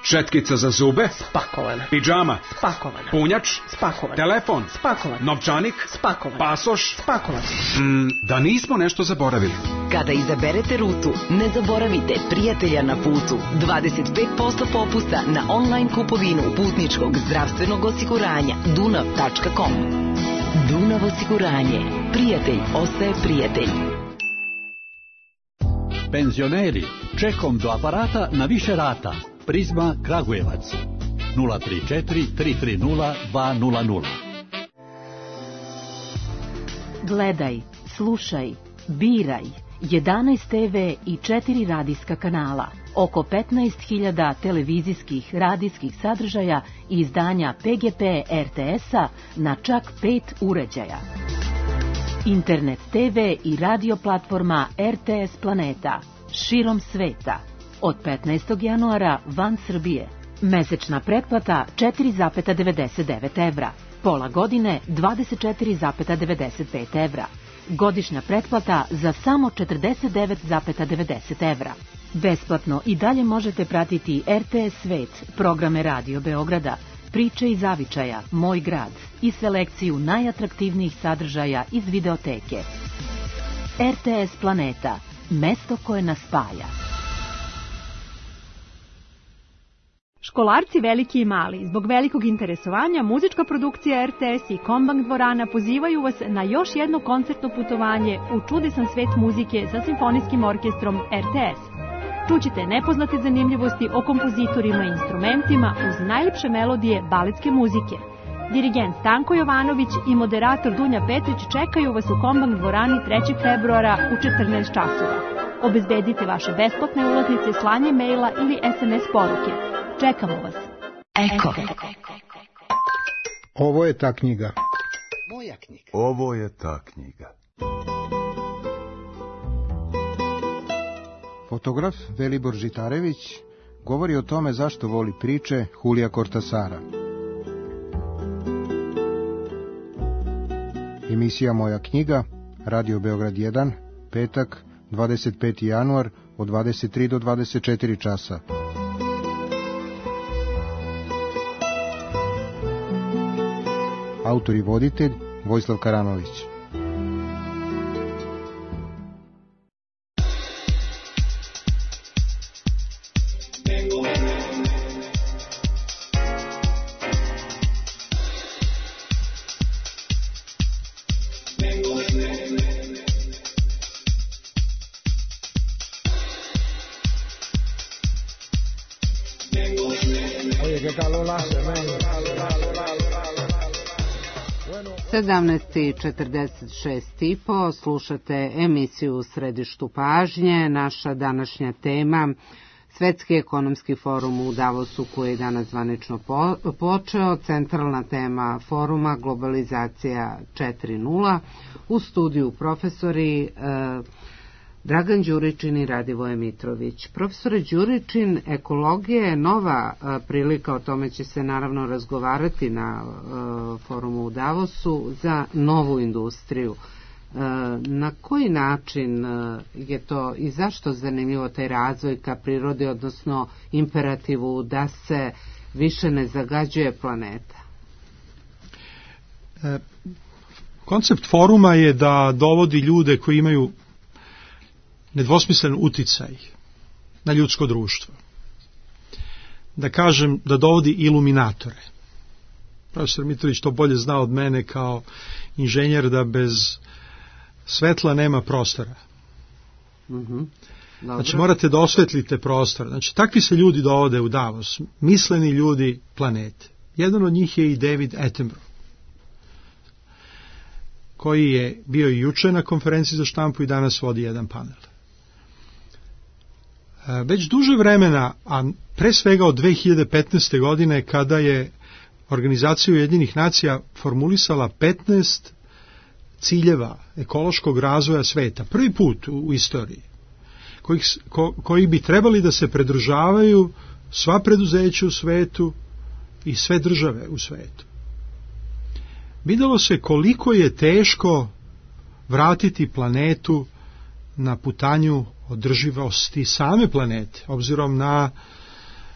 Četkica za zube? Spakovana. Pidžama? Spakovana. Punjač? Spakovan. Telefon? Spakovan. Novčanik? Spakovan. Pasoš? Spakovan. Mm, da nismo nešto zaboravili. Kada izaberete rutu, ne zaboravite prijatelja na putu. dvadeset pet posto popusta na online kupovinu putničkog zdravstvenog osiguranja dunav tačka com. Dunav osiguranje. Prijatelj ostaje prijatelj. Penzioneri, čekom do aparata na više rata. Prizma Kragujevac. nula tri četiri tri tri nula dva nula nula. Gledaj, slušaj, biraj. jedanaest te ve i četiri radijska kanala, oko petnaest hiljada televizijskih radijskih sadržaja i izdanja Pe Ge Pe Er Te Es-a na čak pet uređaja. Internet te ve i radio platforma Er Te Es Planeta, širom sveta. Od petnaestog januara van Srbije. Mesečna pretplata četiri zarez devedeset devet evra. Pola godine dvadeset četiri zarez devedeset pet evra. Godišnja pretplata za samo četrdeset devet zarez devedeset evra. Besplatno i dalje možete pratiti Er Te Es Svet, programe Radio Beograda, Priče iz zavičaja, Moj grad i selekciju najatraktivnijih sadržaja iz videoteke. Er Te Es Planeta, mesto koje nas spaja. Školarci veliki i mali, zbog velikog interesovanja, muzička produkcija Er Te Es i Kombank dvorana pozivaju vas na još jedno koncertno putovanje u čudesan svet muzike sa simfonijskim orkestrom Er Te Es. Čućite nepoznate zanimljivosti o kompozitorima i instrumentima uz najljepše melodije baletske muzike. Dirigent Stanko Jovanović i moderator Dunja Petrić čekaju vas u Kombank dvorani trećeg februara u četrnaest časova. Obezbedite vaše besplatne ulaznice slanjem maila ili es em es poruke. Čekamo vas. Eko. Ovo je ta knjiga. Moja knjiga. Ovo je ta knjiga. Fotograf Velibor Žitarević govori o tome zašto voli priče Julija Kortasara. Emisija Moja knjiga, Radio Beograd jedan, petak, dvadeset peti januar, od dvadeset tri do dvadeset četiri časa. Autor i voditelj Vojislav Karanović. sedamnaest i četrdeset šest i po, slušate emisiju U središtu pažnje. Naša današnja tema, Svetski ekonomski forum u Davosu koji je danas zvanično po, počeo, centralna tema foruma globalizacija četiri nula, u studiju profesori e, Dragan Đuričin i Radivoje Mitrović. Profesore Đuričin, ekologija je nova a, prilika, o tome će se naravno razgovarati na a, forumu u Davosu, za novu industriju. A, na koji način a, je to i zašto zanimljivo taj razvoj ka prirodi, odnosno imperativu da se više ne zagađuje planeta? E, koncept foruma je da dovodi ljude koji imaju nedvosmislen uticaj na ljudsko društvo. Da kažem, da dovodi iluminatore. Profesor Mitrović to bolje zna od mene kao inženjer, da bez svetla nema prostora. Mm-hmm. Znači morate da osvetlite prostor. Znači takvi se ljudi dovode u Davos, misleni ljudi planete. Jedan od njih je i David Attenborough, koji je bio i juče na konferenciji za štampu i danas vodi jedan panel. Već duže vremena, a pre svega od dve hiljade petnaeste. godine, kada je Organizacija Ujedinjenih nacija formulisala petnaest ciljeva ekološkog razvoja sveta, prvi put u, u istoriji, kojih, ko, koji bi trebali da se pridržavaju sva preduzeća u svetu i sve države u svetu. Videlo se koliko je teško vratiti planetu na putanju održivosti same planete, obzirom na,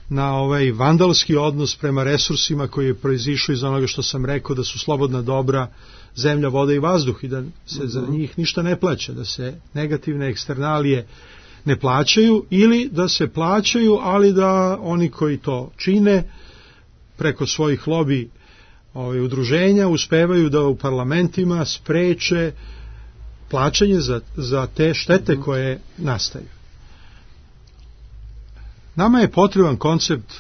na ovaj vandalski odnos prema resursima koji je proizišao iz onoga što sam rekao, da su slobodna dobra zemlja, voda i vazduh i da se za njih ništa ne plaća, da se negativne eksternalije ne plaćaju ili da se plaćaju, ali da oni koji to čine preko svojih lobi ovaj, udruženja uspevaju da u parlamentima spreče plaćanje za, za te štete koje nastaju. Nama je potreban koncept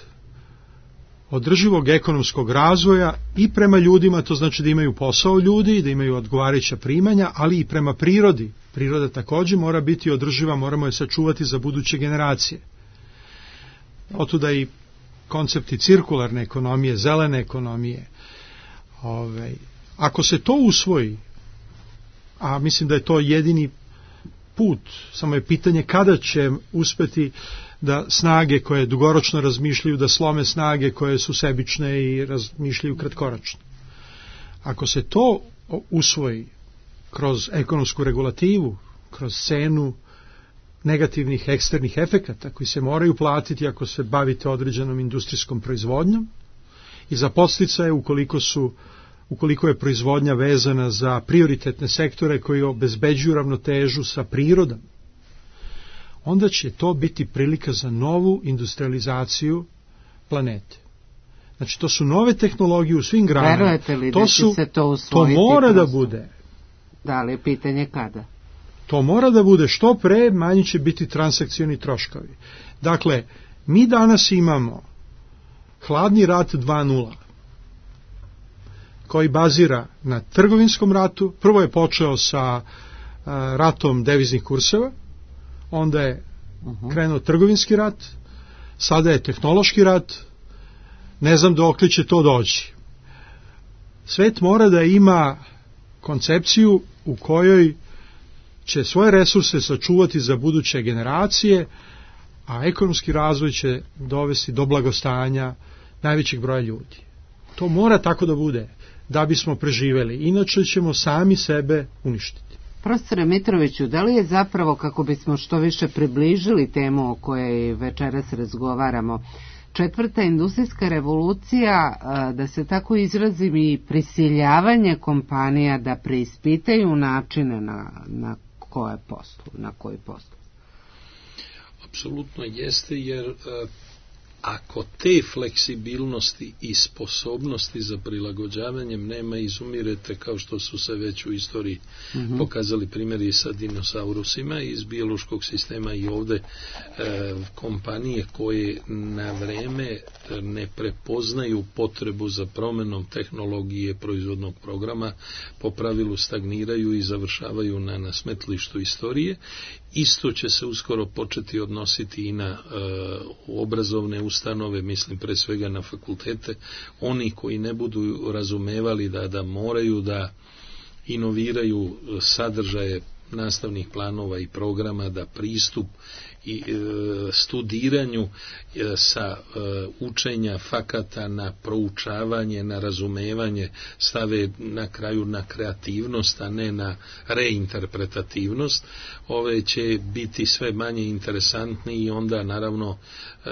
održivog ekonomskog razvoja i prema ljudima, to znači da imaju posao ljudi, da imaju odgovarajuća primanja, ali i prema prirodi. Priroda također mora biti održiva, moramo je sačuvati za buduće generacije. Otuda i koncepti cirkularne ekonomije, zelene ekonomije. Ove, ako se to usvoji, a mislim da je to jedini put, samo je pitanje kada će uspeti da snage koje dugoročno razmišljaju da slome snage koje su sebične i razmišljaju kratkoročno. Ako se to usvoji kroz ekonomsku regulativu, kroz cenu negativnih eksternih efekata koji se moraju platiti ako se bavite određenom industrijskom proizvodnjom i za podsticaje ukoliko su ukoliko je proizvodnja vezana za prioritetne sektore koji obezbeđuju ravnotežu sa prirodom, onda će to biti prilika za novu industrializaciju planete. Znači, to su nove tehnologije u svim granama. Verujete li to da su, će se to usvojiti? To mora kroz... da bude. Da li je pitanje kada? To mora da bude što pre, manji će biti transakcioni troškovi. Dakle, mi danas imamo hladni rat dva nula, koji bazira na trgovinskom ratu. Prvo je počeo sa uh, ratom deviznih kurseva, onda je uh-huh. krenuo trgovinski rat, sada je tehnološki rat, ne znam dokle će to doći. Svet mora da ima koncepciju u kojoj će svoje resurse sačuvati za buduće generacije, a ekonomski razvoj će dovesti do blagostanja najvećeg broja ljudi. To mora tako da bude, da bismo preživeli, inače ćemo sami sebe uništiti. Profesore Mitroviću, da li je zapravo, kako bismo što više približili temu o kojoj večeras razgovaramo, četvrta industrijska revolucija, da se tako izrazim, i prisiljavanje kompanija da preispitaju načine na, na koje poslu, na koji poslu? Apsolutno jeste, jer ako te fleksibilnosti i sposobnosti za prilagođavanjem nema, izumirete, kao što su se već u istoriji mm-hmm. pokazali primjeri sa dinosaurusima iz biološkog sistema i ovde e, kompanije koje na vreme ne prepoznaju potrebu za promenom tehnologije proizvodnog programa po pravilu stagniraju i završavaju na, na smetlištu istorije. Isto će se uskoro početi odnositi i na e, obrazovne ustanove, mislim pre svega na fakultete. Oni koji ne budu razumevali da, da moraju da inoviraju sadržaje nastavnih planova i programa, da pristup i e, studiranju e, sa e, učenja fakata na proučavanje, na razumevanje stave na kraju na kreativnost, a ne na reinterpretativnost. Ove će biti sve manje interesantni i onda naravno e,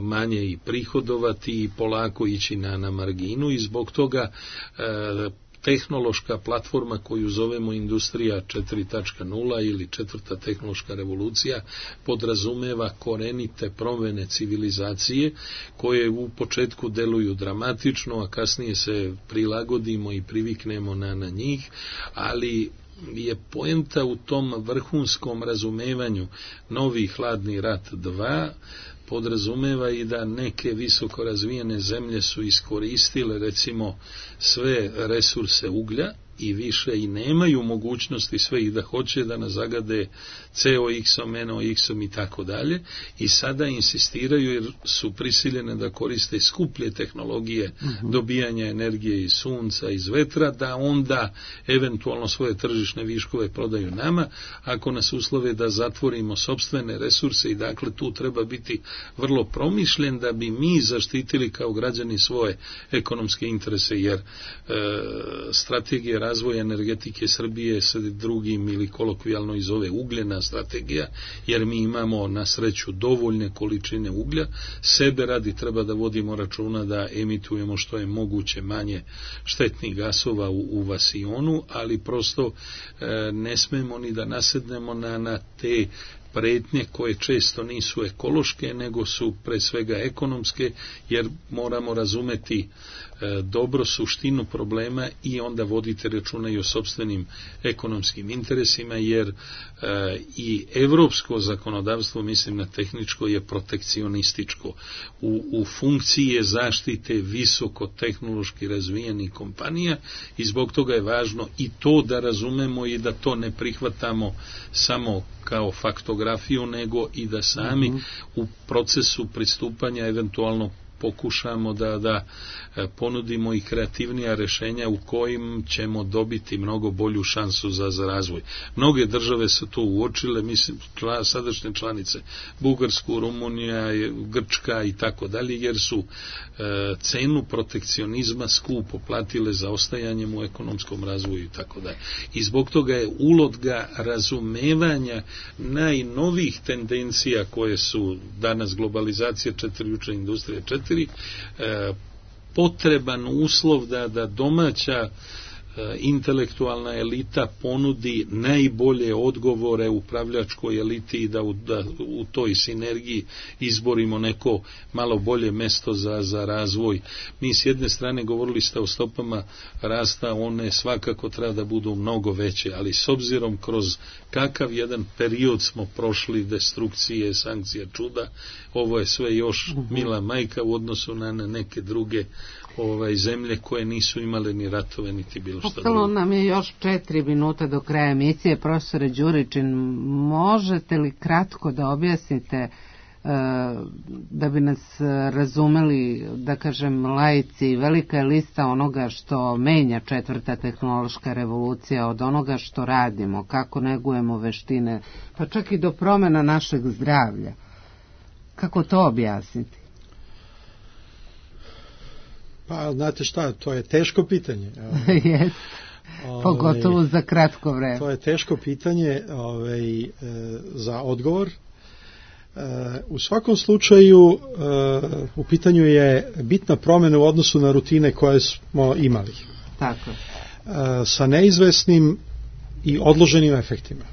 manje i prihodovati i polako ići na, na marginu i zbog toga e, tehnološka platforma koju zovemo industrija četiri tačka nula ili četvrta tehnološka revolucija podrazumeva korenite promjene civilizacije koje u početku deluju dramatično, a kasnije se prilagodimo i priviknemo na, na njih, ali je poenta u tom vrhunskom razumevanju novi hladni rat dva podrazumeva i da neke visoko razvijene zemlje su iskoristile recimo sve resurse uglja i više i nemaju mogućnosti sve i da hoće da nas zagade C O X-om, N O X-om i tako dalje i sada insistiraju jer su prisiljene da koriste skuplje tehnologije uh-huh. dobijanja energije iz sunca, iz vetra, da onda eventualno svoje tržišne viškove prodaju nama, ako nas uslove da zatvorimo sopstvene resurse i dakle tu treba biti vrlo promišljen da bi mi zaštitili kao građani svoje ekonomske interese, jer e, strategija razvoja energetike Srbije se drugim ili kolokvijalno iz ove ugljena strategija, jer mi imamo na sreću dovoljne količine uglja, sebe radi treba da vodimo računa da emitujemo što je moguće manje štetnih gasova u, u vasionu, ali prosto e, ne smemo ni da nasednemo na, na te pretnje koje često nisu ekološke, nego su pre svega ekonomske, jer moramo razumeti e, dobro suštinu problema i onda vodite računa i o sopstvenim ekonomskim interesima, jer e, i evropsko zakonodavstvo, mislim na tehničko, je protekcionističko. U, u funkciji je zaštite visoko tehnološki razvijenih kompanija i zbog toga je važno i to da razumemo i da to ne prihvatamo samo kao faktografiju, nego i da sami mm-hmm. u procesu pristupanja eventualno pokušamo da, da ponudimo i kreativnija rešenja u kojim ćemo dobiti mnogo bolju šansu za, za razvoj. Mnoge države su to uočile, mislim, čla, sadašnje članice, Bugarsku, Rumunija, Grčka i tako dalje, jer su e, cenu protekcionizma skupo platile za ostajanjem u ekonomskom razvoju i tako dalje. I zbog toga je uloga razumevanja najnovijih tendencija koje su danas globalizacija četiri, juče industrija četiri, e, potreban uslov da, da domaća e, intelektualna elita ponudi najbolje odgovore upravljačkoj eliti i da u, da u toj sinergiji izborimo neko malo bolje mesto za, za razvoj. Mi s jedne strane govorili ste o stopama rasta, one svakako treba da budu mnogo veće, ali s obzirom kroz kakav jedan period smo prošli destrukcije, sankcija, čuda, ovo je sve još mila majka u odnosu na neke druge ovaj, zemlje koje nisu imale ni ratove, niti bilo što drugo. Ostalo nam je još četiri minuta do kraja emisije. Profesore Đuričin, možete li kratko da objasnite da bi nas razumeli, da kažem, laici, velika je lista onoga što menja četvrta tehnološka revolucija od onoga što radimo, kako negujemo veštine, pa čak i do promjena našeg zdravlja. Kako to objasniti? Pa, znate šta, to je teško pitanje. Jes, pogotovo za kratko vreme. To je teško pitanje ovaj, e, za odgovor. U svakom slučaju u pitanju je bitna promjena u odnosu na rutine koje smo imali. Tako. Sa neizvesnim i odloženim efektima.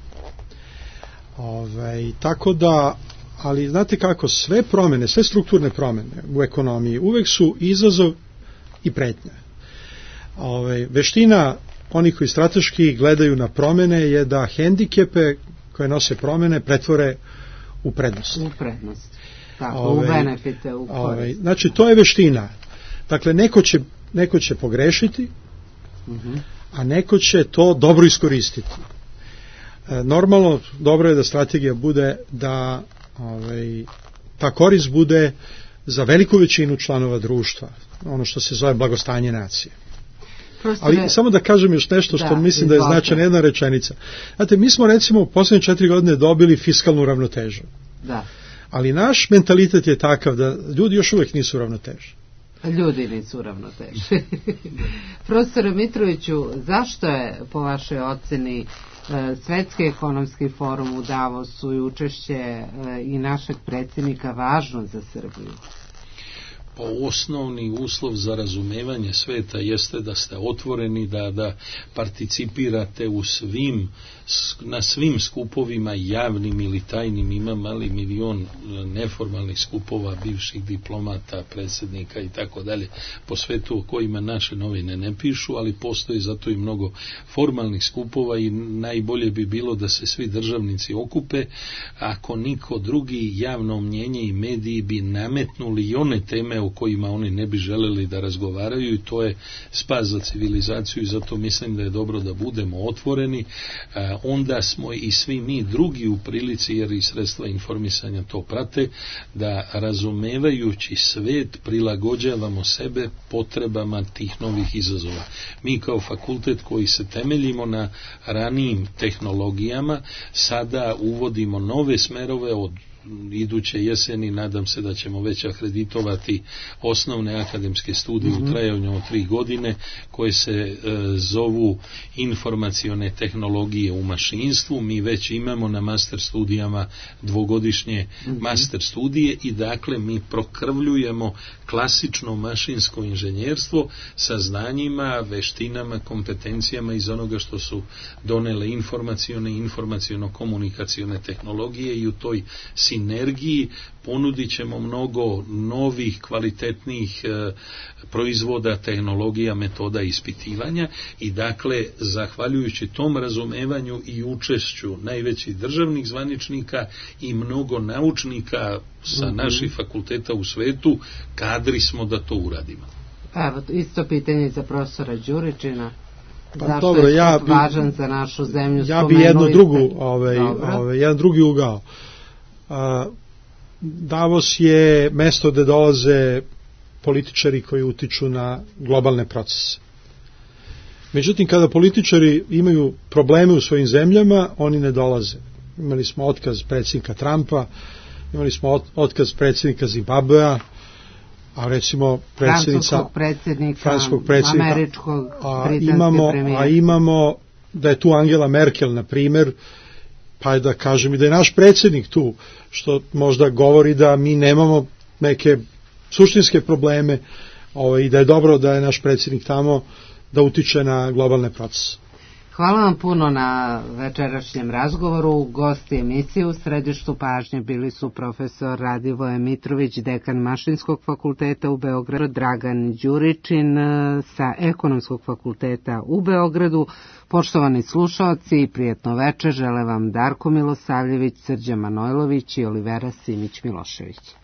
Ove, tako da, ali znate kako, sve promjene, sve strukturne promjene u ekonomiji uvek su izazov i pretnja. Ove, veština onih koji strateški gledaju na promjene je da hendikepe koje nose promjene pretvore u prednost. U prednost. Tako, ove, u benefite, u korist. Znači, to je veština. Dakle, neko će, neko će pogrešiti, uh-huh. a neko će to dobro iskoristiti. E, normalno, dobro je da strategija bude da ove, ta korist bude za veliku većinu članova društva, ono što se zove blagostanje nacije. Ali ne... samo da kažem još nešto što da, mislim da je značajna jedna rečenica. Znate, mi smo recimo u posljednje četiri godine dobili fiskalnu ravnotežu. Da. Ali naš mentalitet je takav da ljudi još uvijek nisu ravnoteži. Ljudi nisu ravnoteži. Profesore Mitroviću, zašto je po vašoj oceni Svetski ekonomski forum u Davosu i učešće i našeg predsjednika važno za Srbiju? Pa osnovni uslov za razumevanje sveta jeste da ste otvoreni, da, da participirate u svim, na svim skupovima javnim ili tajnim. Ima mali milion neformalnih skupova bivših diplomata, predsjednika i tako dalje po svetu o kojima naše novine ne pišu, ali postoji zato i mnogo formalnih skupova i najbolje bi bilo da se svi državnici okupe, ako niko drugi, javno mnjenje i mediji bi nametnuli i one teme o kojima oni ne bi želeli da razgovaraju i to je spas za civilizaciju i zato mislim da je dobro da budemo otvoreni, a, onda smo i svi mi drugi u prilici, jer i sredstva informisanja to prate, da razumevajući svet prilagođavamo sebe potrebama tih novih izazova. Mi kao fakultet koji se temeljimo na ranijim tehnologijama sada uvodimo nove smerove od iduće jeseni nadam se da ćemo već akreditovati osnovne akademske studije mm-hmm. u trajanju od tri godine koje se e, zovu informacione tehnologije u mašinstvu. Mi već imamo na master studijama dvogodišnje mm-hmm. master studije i dakle mi prokrvljujemo klasično mašinsko inženjerstvo sa znanjima, veštinama, kompetencijama iz onoga što su donele informacione i informaciono-komunikacione tehnologije i u toj sinergiji ponudit ćemo mnogo novih, kvalitetnih e, proizvoda, tehnologija, metoda ispitivanja i dakle, zahvaljujući tom razumevanju i učešću najvećih državnih zvaničnika i mnogo naučnika sa mm-hmm. naših fakulteta u svetu, kadri smo da to uradimo. Evo, isto pitanje za profesora Đuričina. Pa, zašto dobro, je ja bi, važan za našu zemlju? Ja bi jednu drugu, ovaj, ovaj, jedan drugi ugao. A, Davos je mesto gde dolaze političari koji utiču na globalne procese. Međutim, kada političari imaju probleme u svojim zemljama, oni ne dolaze. Imali smo otkaz predsjednika Trumpa, imali smo otkaz predsjednika Zimbabvea, a recimo predsjednica francuskog predsjednika, francuskog predsjednika američkog, a imamo, a imamo da je tu Angela Merkel, na primjer, pa je da kažem i da je naš predsjednik tu, što možda govori da mi nemamo neke suštinske probleme ovaj, i da je dobro da je naš predsjednik tamo da utiče na globalne procese. Hvala vam puno na večerašnjem razgovoru. Gosti emisije u središtu pažnje bili su profesor Radivoje Mitrović, dekan Mašinskog fakulteta u Beogradu, Dragan Đuričin sa Ekonomskog fakulteta u Beogradu. Poštovani slušaoci, prijetno večer žele vam Darko Milosavljević, Srđan Manojlović i Olivera Simić Milošević.